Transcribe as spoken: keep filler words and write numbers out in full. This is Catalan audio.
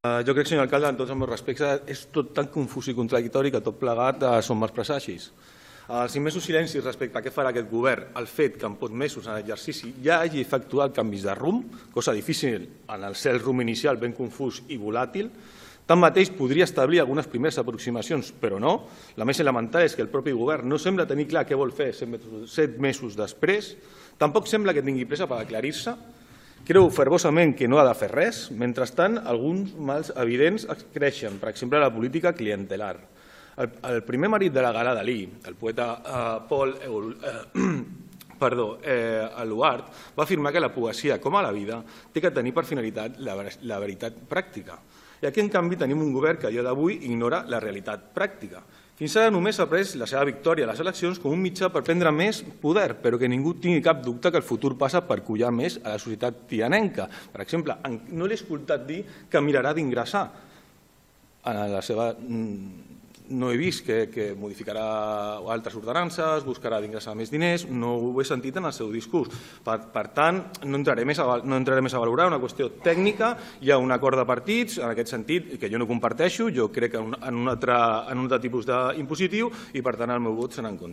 Jo crec, senyor alcalde, en tots els meus respectes, és tot tan confús i contradictori que tot plegat són mals presagis. Els immensos silencis respecte a què farà aquest govern, el fet que en pocs mesos en l'exercici ja hagi efectuat canvis de rumb, cosa difícil en el cel rumb inicial ben confús i volàtil, tanmateix podria establir algunes primeres aproximacions, però no. La més elemental és que el propi govern no sembla tenir clar què vol fer set mesos després, tampoc sembla que tingui pressa per aclarir-se. Creu fervosament que no ha de fer res, mentrestant alguns mals evidents creixen, per exemple la política clientelar. El primer marit de la Gala Dalí, el poeta Paul Eluard, va afirmar que la poesia, com a la vida, té que tenir per finalitat la veritat pràctica. I aquí, en canvi, tenim un govern que a dia d'avui ignora la realitat pràctica. Fins ara només ha pres la seva victòria a les eleccions com un mitjà per prendre més poder, però que ningú tingui cap dubte que el futur passa per collar més a la societat tianenca. Per exemple, no l'he escoltat dir que mirarà d'ingressar a la seva... No he vist que modificarà altres ordenances, buscarà d'ingressar més diners, no ho he sentit en el seu discurs. Per tant, no entraré més a valorar una qüestió tècnica, hi ha un acord de partits, en aquest sentit, que jo no comparteixo, jo crec en un altre tipus d'impositiu i per tant el meu vot serà en contra.